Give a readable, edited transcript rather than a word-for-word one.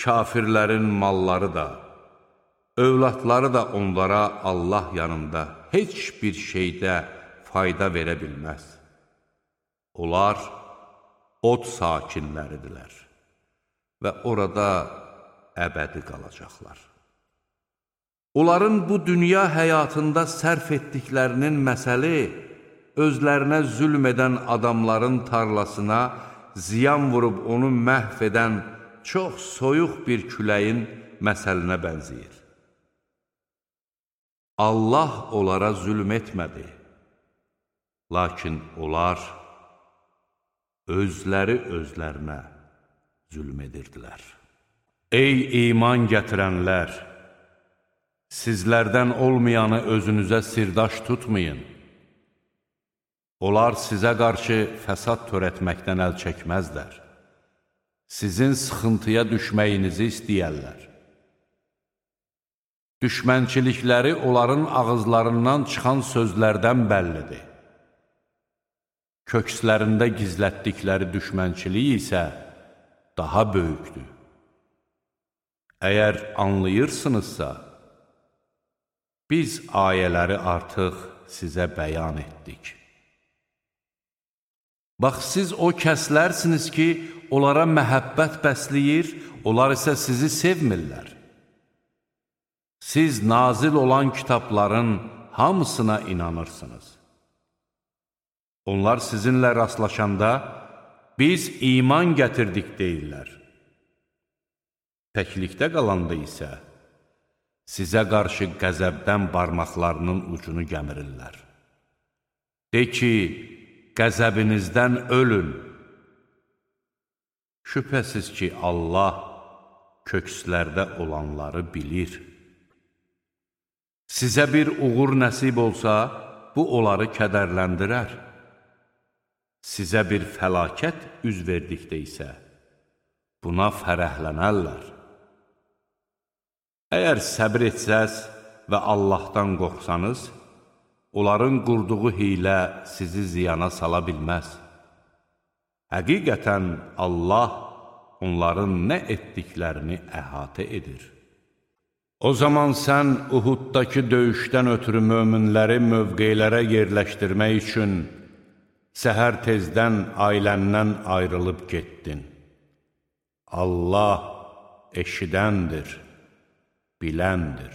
kafirlərin malları da, övladları da onlara Allah yanında heç bir şeydə fayda verə bilməz. Onlar od sakinləridirlər və orada əbədi qalacaqlar. Onların bu dünya həyatında sərf etdiklərinin məsəli, özlərinə zülm edən adamların tarlasına ziyan vurub onu məhv edən çox soyuq bir küləyin məsəlinə bənzəyir. Allah onlara zülm etmədi, lakin onlar özləri özlərinə zülm edirdilər. Ey iman gətirənlər! Sizlərdən olmayanı özünüzə sirdaş tutmayın. Onlar sizə qarşı fəsad törətməkdən əl çəkməzlər. Sizin sıxıntıya düşməyinizi istəyərlər. Düşmənçilikləri onların ağızlarından çıxan sözlərdən bəllidir. Kökslərində gizlətdikləri düşmənçilik isə daha böyükdür. Əgər anlayırsınızsa, biz ayələri artıq sizə bəyan etdik. Bax, siz o kəslərsiniz ki, onlara məhəbbət bəsləyir, onlar isə sizi sevmirlər. Siz nazil olan kitabların hamısına inanırsınız. Onlar sizinlə rastlaşanda, biz iman gətirdik deyirlər. Təklikdə qalanda isə, sizə qarşı qəzəbdən barmaqlarının ucunu gəmirirlər. De ki, qəzəbinizdən ölün. Şübhəsiz ki, Allah kökslərdə olanları bilir. Sizə bir uğur nəsib olsa, bu onları kədərləndirər. Sizə bir fəlakət üz verdikdə isə, buna fərəhlənərlər. Əgər səbir etsəz və Allahdan qorxsanız, onların qurduğu hiylə sizi ziyana sala bilməz. Həqiqətən Allah onların nə etdiklərini əhatə edir. O zaman sən Uhuddakı döyüşdən ötürü möminləri mövqelərə yerləşdirmək üçün səhər tezdən ailəndən ayrılıb getdin. Allah eşidəndir, biləndir.